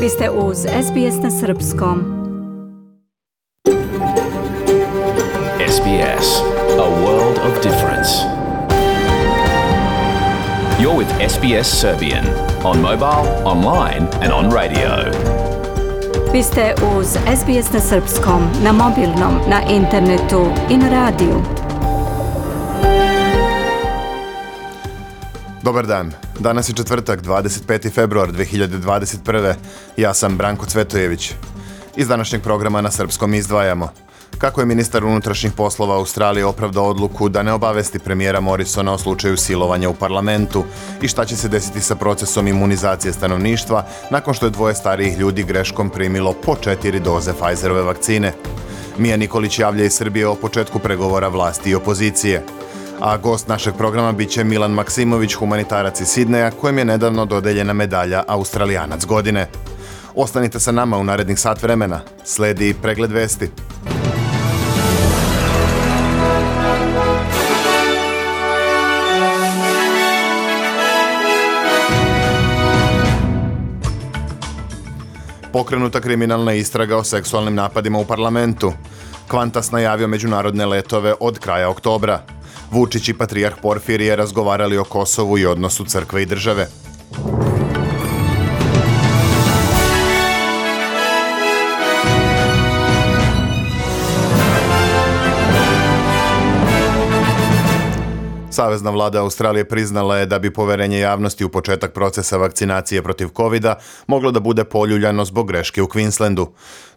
Vi ste uz SBS na Srpskom. SBS, a world of difference. You're with SBS Serbian on mobile, online and on radio. Vi ste uz SBS na Srpskom, na mobilnom, na internetu i na radiju. Dobar dan. Danas je četvrtak, 25. februar 2021. Ja sam Branko Cvetojević. Iz današnjeg programa na srpskom izdvajamo kako je ministar unutrašnjih poslova Australije opravdao odluku da ne obavesti premijera Morrisona o slučaju silovanja u parlamentu i šta će se desiti sa procesom imunizacije stanovništva nakon što je dvoje starijih ljudi greškom primilo po 4 doze Pfizerove vakcine. Mija Nikolić javlja iz Srbije o početku pregovora vlasti i opozicije. A gost našeg programa bit će Milan Maksimović, humanitarac iz Sidneja, kojem je nedavno dodeljena medalja Australijanac godine. Ostanite sa nama u narednih sat vremena. Sledi pregled vesti. Pokrenuta kriminalna istraga o seksualnim napadima u parlamentu. Qantas najavio međunarodne letove od kraja oktobra. Vučić i patrijarh Porfirije razgovarali o Kosovu i odnosu crkve i države. Savezna vlada Australije priznala je da bi poverenje javnosti u početak procesa vakcinacije protiv covida moglo da bude poljuljano zbog greške u Queenslandu.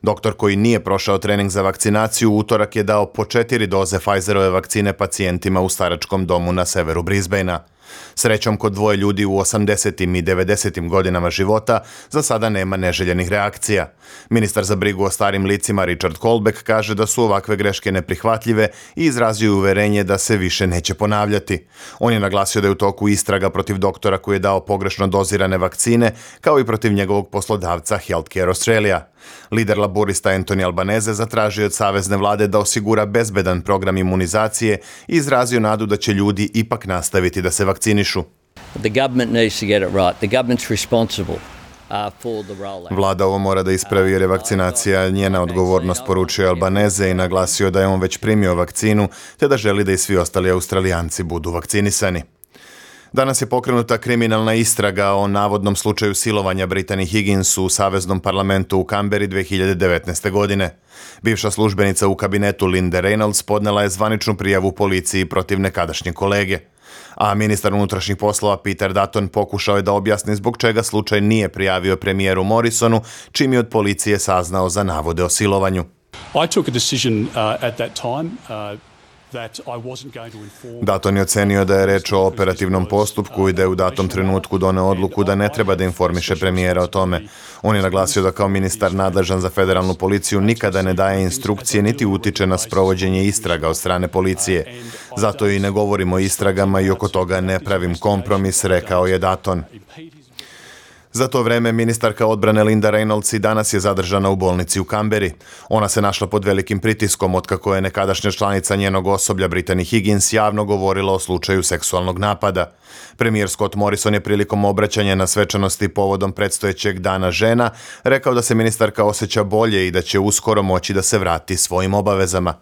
Doktor koji nije prošao trening za vakcinaciju u utorak je dao po 4 doze Pfizerove vakcine pacijentima u staračkom domu na severu Brisbanea. Srećom, kod dvoje ljudi u 80. i 90. godinama života za sada nema neželjenih reakcija. Ministar za brigu o starim licima Richard Colbeck kaže da su ovakve greške neprihvatljive i izrazio uverenje da se više neće ponavljati. On je naglasio da je u toku istraga protiv doktora koji je dao pogrešno dozirane vakcine, kao i protiv njegovog poslodavca Healthcare Australia. Lider laborista Anthony Albanese zatražio od savezne vlade da osigura bezbedan program imunizacije i izrazio nadu da će ljudi ipak nastaviti da se vakcinišu. The government needs to get it right. The government's responsible. Vlada ovo mora da ispravi jer je vakcinacija njena odgovornost, poručio Albanese i naglasio da je on već primio vakcinu te da želi da i svi ostali Australijanci budu vakcinisani. Danas je pokrenuta kriminalna istraga o navodnom slučaju silovanja Brittany Higgins u Saveznom parlamentu u Kamberi 2019. godine. Bivša službenica u kabinetu Linda Reynolds podnela je zvaničnu prijavu policiji protiv nekadašnje kolege. A ministar unutrašnjih poslova Peter Dutton pokušao je da objasni zbog čega slučaj nije prijavio premijeru Morrisonu, čim je od policije saznao za navode o silovanju. I took a decision at that time Dutton je ocenio da je reč o operativnom postupku i da je u datom trenutku doneo odluku da ne treba da informiše premijera o tome. On je naglasio da kao ministar nadležan za federalnu policiju nikada ne daje instrukcije niti utiče na sprovođenje istraga od strane policije. Zato i ne govorimo o istragama i oko toga ne pravim kompromis, rekao je Dutton. Za to vreme ministarka odbrane Linda Reynolds i danas je zadržana u bolnici u Kamberi. Ona se našla pod velikim pritiskom otkako je nekadašnja članica njenog osoblja Brittany Higgins javno govorila o slučaju seksualnog napada. Premijer Scott Morrison je prilikom obraćanja na svečanosti povodom predstojećeg dana žena rekao da se ministarka osjeća bolje i da će uskoro moći da se vrati svojim obavezama.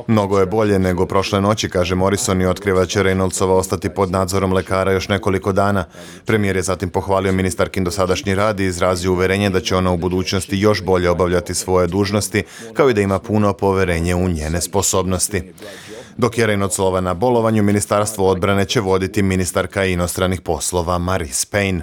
Mnogo je bolje nego prošle noći, kaže Morrison i otkriva da će Reynoldsova ostati pod nadzorom lekara još nekoliko dana. Premijer je zatim pohvalio ministarkin dosadašnji rad i izrazio uverenje da će ona u budućnosti još bolje obavljati svoje dužnosti, kao i da ima puno poverenje u njene sposobnosti. Dok je Reynoldsova na bolovanju, Ministarstvo odbrane će voditi ministarka inostranih poslova Marise Payne.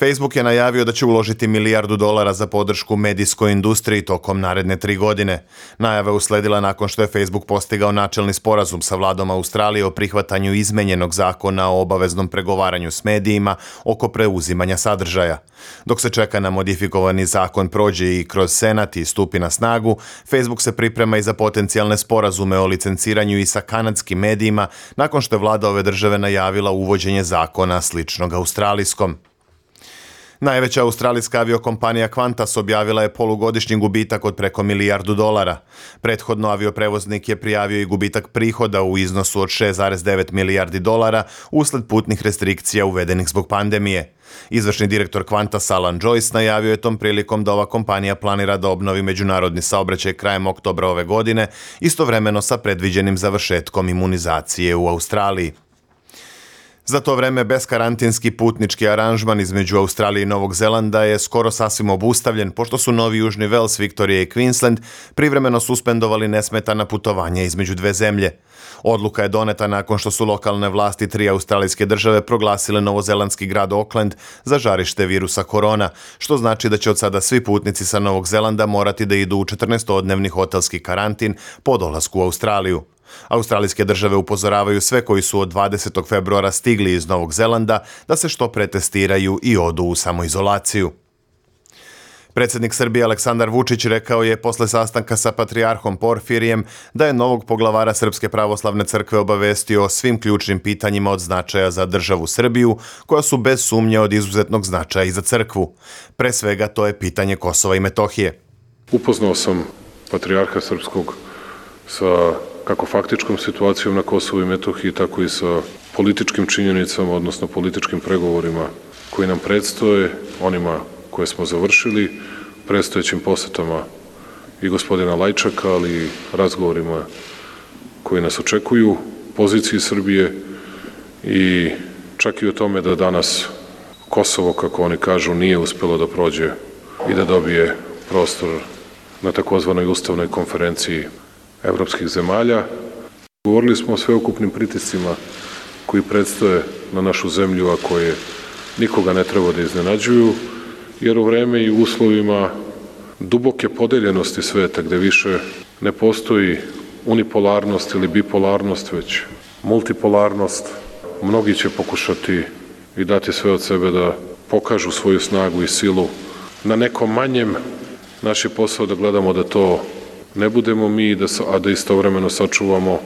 Facebook je najavio da će uložiti $1 milijardu za podršku medijskoj industriji tokom naredne 3 godine. Najava je usledila nakon što je Facebook postigao načelni sporazum sa vladom Australije o prihvatanju izmenjenog zakona o obaveznom pregovaranju s medijima oko preuzimanja sadržaja. Dok se čeka na modifikovani zakon prođe i kroz Senat i stupi na snagu, Facebook se priprema i za potencijalne sporazume o licenciranju i sa kanadskim medijima nakon što je vlada ove države najavila uvođenje zakona sličnog australijskom. Najveća australijska aviokompanija Qantas objavila je polugodišnji gubitak od preko $1 milijardu. Prethodno avioprevoznik je prijavio i gubitak prihoda u iznosu od $6,9 milijardi usled putnih restrikcija uvedenih zbog pandemije. Izvršni direktor Qantas Alan Joyce najavio je tom prilikom da ova kompanija planira da obnovi međunarodni saobraćaj krajem oktobra ove godine, istovremeno sa predviđenim završetkom imunizacije u Australiji. Za to vreme beskarantinski putnički aranžman između Australije i Novog Zelanda je skoro sasvim obustavljen, pošto su Novi Južni Vels, Viktorija i Queensland privremeno suspendovali nesmetana putovanja između dve zemlje. Odluka je doneta nakon što su lokalne vlasti 3 australijske države proglasile novozelandski grad Auckland za žarište virusa korona, što znači da će od sada svi putnici sa Novog Zelanda morati da idu u 14-dnevni hotelski karantin po dolasku u Australiju. Australijske države upozoravaju sve koji su od 20. februara stigli iz Novog Zelanda da se što pre testiraju i odu u samoizolaciju. Predsjednik Srbije Aleksandar Vučić rekao je posle sastanka sa patrijarhom Porfirijem da je novog poglavara Srpske pravoslavne crkve obavestio o svim ključnim pitanjima od značaja za državu Srbiju, koja su bez sumnje od izuzetnog značaja i za crkvu. Pre svega to je pitanje Kosova i Metohije. Upoznao sam patrijarha srpskog sa kako faktičkom situacijom na Kosovu i Metohiji, tako i sa političkim činjenicama, odnosno političkim pregovorima koji nam predstoje, onima koje smo završili, predstojećim posetama i gospodina Lajčaka, ali i razgovorima koji nas očekuju, poziciji Srbije i čak i o tome da danas Kosovo, kako oni kažu, nije uspelo da prođe i da dobije prostor na takozvanoj ustavnoj konferenciji evropskih zemalja. Govorili smo o sveukupnim pritiscima koji predstoje na našu zemlju, a koje nikoga ne treba da iznenađuju, jer u vreme i u uslovima duboke podeljenosti sveta, gde više ne postoji unipolarnost ili bipolarnost, već multipolarnost, mnogi će pokušati i dati sve od sebe da pokažu svoju snagu i silu na nekom manjem. Naš je posao da gledamo da to ne budemo mi, a da istovremeno sačuvamo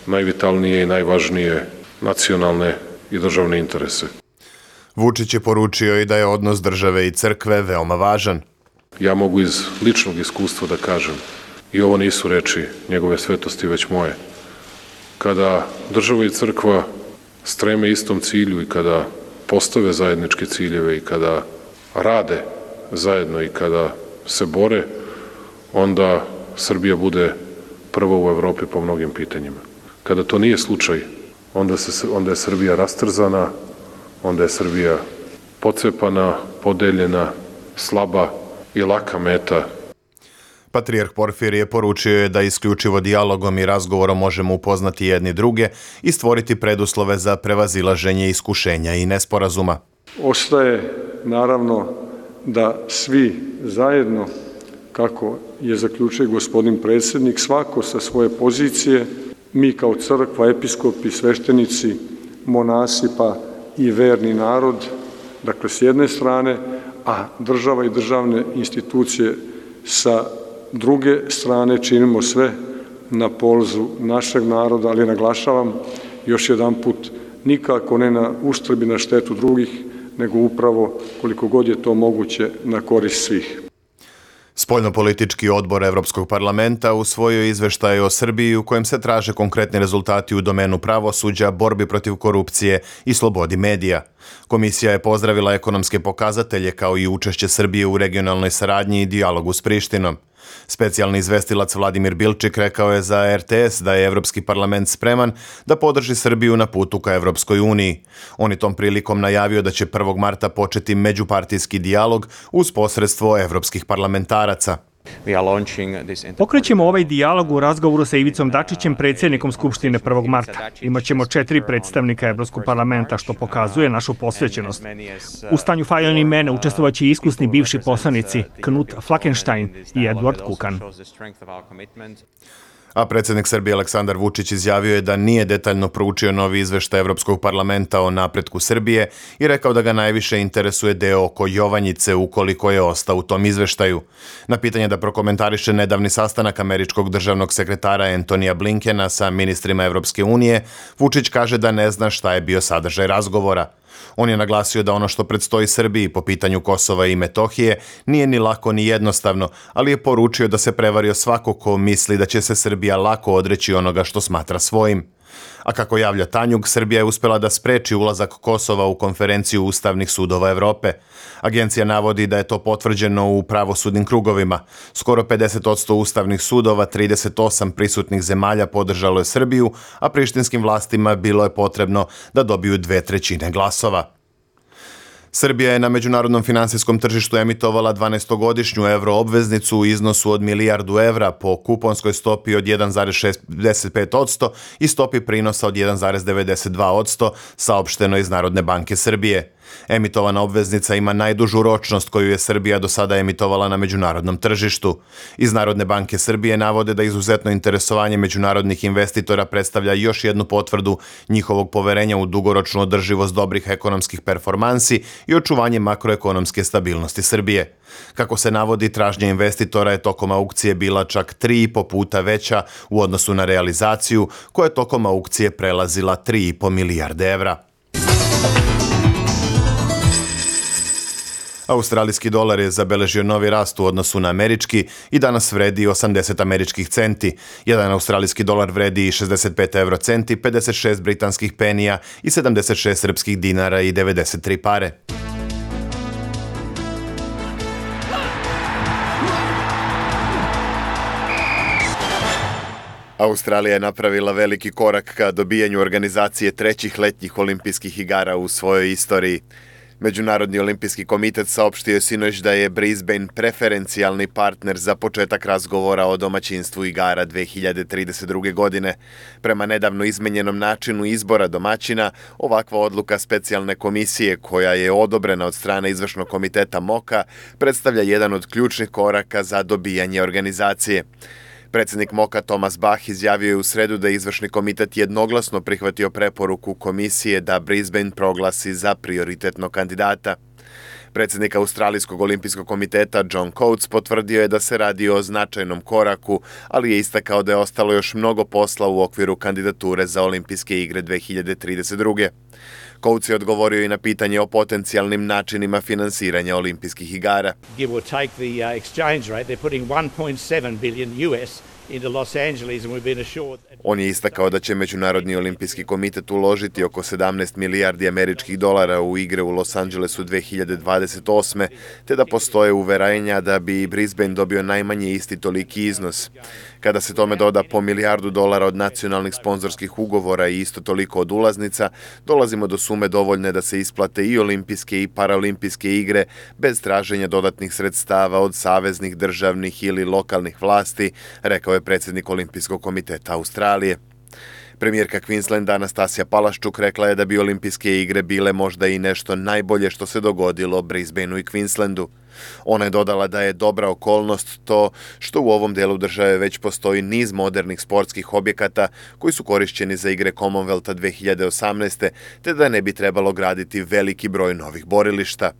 najvitalnije i najvažnije nacionalne i državne interese. Vučić je poručio i da je odnos države i crkve veoma važan. Ja mogu iz ličnog iskustva da kažem, i ovo nisu reči njegove svetosti, već moje, kada država i crkva streme istom cilju i kada postave zajedničke ciljeve i kada rade zajedno i kada se bore, onda Srbija bude prva u Evropi po mnogim pitanjima. Kada to nije slučaj, onda je Srbija rastrzana, onda je Srbija pocepana, podeljena, slaba i laka meta. Patrijarh Porfirije poručio je da isključivo dijalogom i razgovorom možemo upoznati jedni druge i stvoriti preduslove za prevazilaženje iskušenja i nesporazuma. Ostaje, naravno, da svi zajedno, kako je zaključio gospodin predsjednik, svako sa svoje pozicije, mi kao crkva, episkopi, sveštenici, monasi pa i verni narod, dakle s jedne strane, a država i državne institucije sa druge strane, činimo sve na polzu našeg naroda, ali naglašavam još jedan put, nikako ne na uštrb i na štetu drugih, nego upravo koliko god je to moguće na korist svih. Spoljnopolitički odbor Evropskog parlamenta usvojio izveštaj o Srbiji u kojem se traže konkretni rezultati u domenu pravosuđa, borbi protiv korupcije i slobodi medija. Komisija je pozdravila ekonomske pokazatelje kao i učešće Srbije u regionalnoj saradnji i dijalogu s Prištinom. Specijalni izvestilac Vladimir Bilčik rekao je za RTS da je Evropski parlament spreman da podrži Srbiju na putu ka Evropskoj uniji. On je tom prilikom najavio da će 1. marta početi međupartijski dijalog uz posredstvo evropskih parlamentaraca. Pokrećemo ovaj dijalog u razgovoru sa Ivicom Dačićem, predsjednikom Skupštine 1. marta. Imaćemo 4 predstavnika Evropskog parlamenta, što pokazuje našu posvećenost. U stanju Fajon i mene učestvovaće iskusni bivši poslanici Knut Flakenstein i Edward Kukan. A predsjednik Srbije Aleksandar Vučić izjavio je da nije detaljno proučio novi izveštaj Evropskog parlamenta o napretku Srbije i rekao da ga najviše interesuje deo oko Jovanjice ukoliko je ostao u tom izveštaju. Na pitanje da prokomentariše nedavni sastanak američkog državnog sekretara Antonija Blinkena sa ministrima Evropske unije, Vučić kaže da ne zna šta je bio sadržaj razgovora. On je naglasio da ono što predstoji Srbiji po pitanju Kosova i Metohije nije ni lako ni jednostavno, ali je poručio da se prevario svako ko misli da će se Srbija lako odreći onoga što smatra svojim. A kako javlja Tanjug, Srbija je uspela da spreči ulazak Kosova u konferenciju Ustavnih sudova Evrope. Agencija navodi da je to potvrđeno u pravosudnim krugovima. Skoro 50% ustavnih sudova, 38 prisutnih zemalja podržalo je Srbiju, a prištinskim vlastima bilo je potrebno da dobiju 2/3 glasova. Srbija je na međunarodnom finansijskom tržištu emitovala 12-godišnju evroobveznicu u iznosu od milijardu evra po kuponskoj stopi od 1,65% i stopi prinosa od 1,92%, saopšteno iz Narodne banke Srbije. Emitovana obveznica ima najdužu ročnost koju je Srbija do sada emitovala na međunarodnom tržištu. Iz Narodne banke Srbije navode da izuzetno interesovanje međunarodnih investitora predstavlja još jednu potvrdu njihovog poverenja u dugoročnu održivost dobrih ekonomskih performansi i očuvanje makroekonomske stabilnosti Srbije. Kako se navodi, tražnja investitora je tokom aukcije bila čak 3,5 puta veća u odnosu na realizaciju, koja je tokom aukcije prelazila 3,5 milijarde evra. Australijski dolar je zabeležio novi rast u odnosu na američki i danas vredi 80 američkih centi. Jedan australijski dolar vredi 65 eurocenti, 56 britanskih penija i 76 srpskih dinara i 93 pare. Australija je napravila veliki korak ka dobijanju organizacije trećih letnjih olimpijskih igara u svojoj istoriji. Međunarodni olimpijski komitet saopštio je sinoć da je Brisbane preferencijalni partner za početak razgovora o domaćinstvu igara 2032. godine. Prema nedavno izmenjenom načinu izbora domaćina, ovakva odluka specijalne komisije koja je odobrena od strane izvršnog komiteta MOKA predstavlja jedan od ključnih koraka za dobijanje organizacije. Predsjednik MOKA Thomas Bach izjavio je u sredu da je izvršni komitet jednoglasno prihvatio preporuku komisije da Brisbane proglasi za prioritetnog kandidata. Predsjednik Australijskog olimpijskog komiteta John Coates potvrdio je da se radi o značajnom koraku, ali je istakao da je ostalo još mnogo posla u okviru kandidature za olimpijske igre 2032. Coates je odgovorio i na pitanje o potencijalnim načinima finansiranja olimpijskih igara. Give or take the exchange rate, they're putting 1.7 billion US into Los Angeles and we've been assured. On je istakao da će Međunarodni olimpijski komitet uložiti oko 17 milijardi američkih dolara u igre u Los Angelesu 2028. te da postoje uverenja da bi Brisbane dobio najmanje isti toliki iznos. Kada se tome doda po $1 milijardu od nacionalnih sponzorskih ugovora i isto toliko od ulaznica, dolazimo do sume dovoljne da se isplate i olimpijske i paraolimpijske igre bez traženja dodatnih sredstava od saveznih, državnih ili lokalnih vlasti, rekao je predsjednik Olimpijskog komiteta Australije. Premijerka Queenslanda Anastasija Palaščuk rekla je da bi olimpijske igre bile možda i nešto najbolje što se dogodilo Brisbaneu i Queenslandu. Ona je dodala da je dobra okolnost to što u ovom delu države već postoji niz modernih sportskih objekata koji su korišćeni za igre Commonwealtha 2018. te da ne bi trebalo graditi veliki broj novih borilišta.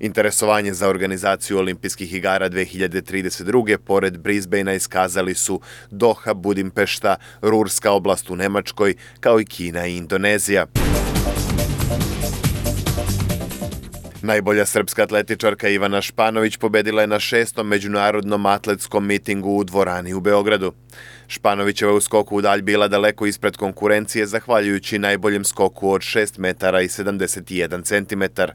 Interesovanje za organizaciju olimpijskih igara 2032. pored Brisbanea iskazali su Doha, Budimpešta, Rurska oblast u Nemačkoj, kao i Kina i Indonezija. Najbolja srpska atletičarka Ivana Španović pobedila je na 6. međunarodnom atletskom mitingu u dvorani u Beogradu. Španovićeva u skoku u dalj bila daleko ispred konkurencije zahvaljujući najboljem skoku od 6 metara i 71 centimetar.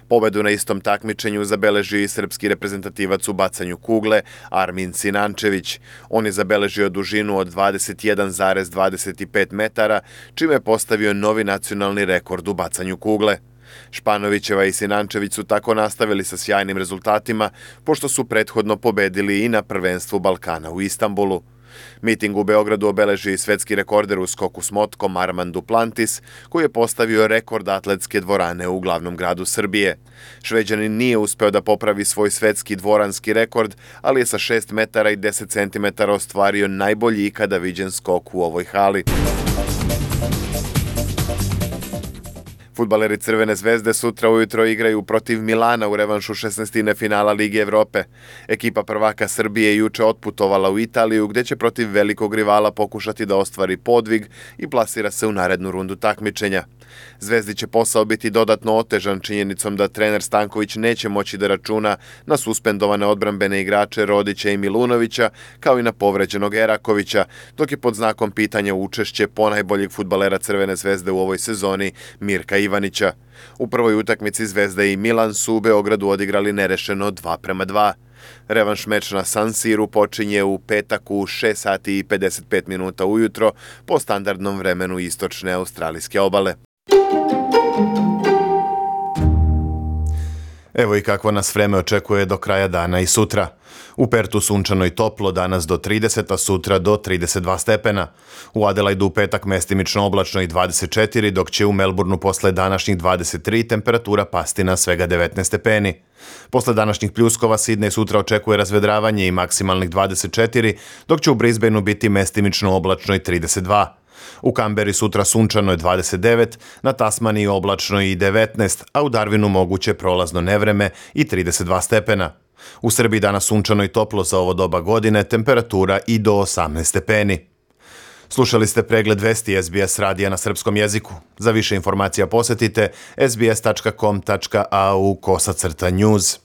Pobedu na istom takmičenju zabeležio i srpski reprezentativac u bacanju kugle Armin Sinančević. On je zabeležio dužinu od 21,25 metara, čime je postavio novi nacionalni rekord u bacanju kugle. Španovićeva i Sinančević su tako nastavili sa sjajnim rezultatima, pošto su prethodno pobedili i na prvenstvu Balkana u Istanbulu. Miting u Beogradu obeležio i svetski rekorder u skoku s motkom Armand Duplantis, koji je postavio rekord atletske dvorane u glavnom gradu Srbije. Šveđanin nije uspeo da popravi svoj svetski dvoranski rekord, ali je sa 6 metara i 10 centimetara ostvario najbolji ikada viđen skok u ovoj hali. Fudbaleri Crvene zvezde sutra ujutro igraju protiv Milana u revanšu 16. finala Lige Evrope. Ekipa prvaka Srbije juče otputovala u Italiju, gde će protiv velikog rivala pokušati da ostvari podvig i plasira se u narednu rundu takmičenja. Zvezdi će posao biti dodatno otežan činjenicom da trener Stanković neće moći da računa na suspendovane odbrambene igrače Rodića i Milunovića, kao i na povređenog Erakovića, dok je pod znakom pitanja učešće ponajboljeg fudbalera Crvene zvezde u ovoj sezoni Mirka Ivanića. U prvoj utakmici Zvezda i Milan su u Beogradu odigrali nerešeno 2:2. Revanš meč na San Siru počinje u petak u 6 sati i 55 minuta ujutro po standardnom vremenu istočne australijske obale. Evo i kakvo nas vreme očekuje do kraja dana i sutra. U Pertu sunčano i toplo, danas do 30, a sutra do 32 stepena. U Adelaidu u petak mestimično oblačno i 24, dok će u Melbourneu posle današnjih 23 temperatura pasti na svega 19 stepeni. Posle današnjih pljuskova Sidnej sutra očekuje razvedravanje i maksimalnih 24, dok će u Brisbaneu biti mestimično oblačno i 32. U Kamberi sutra sunčano je 29, na Tasmaniji oblačno i 19, a u Darwinu moguće prolazno nevreme i 32 stepena. U Srbiji danas sunčano i toplo za ovo doba godine, temperatura i do 18 stepeni. Slušali ste pregled vesti SBS radija na srpskom jeziku. Za više informacija posetite sbs.com.au/news.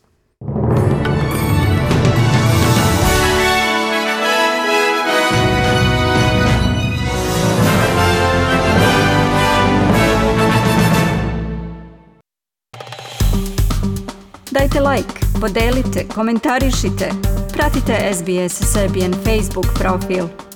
Dajte like, podelite, komentarišite. Pratite SBS Serbian Facebook profil.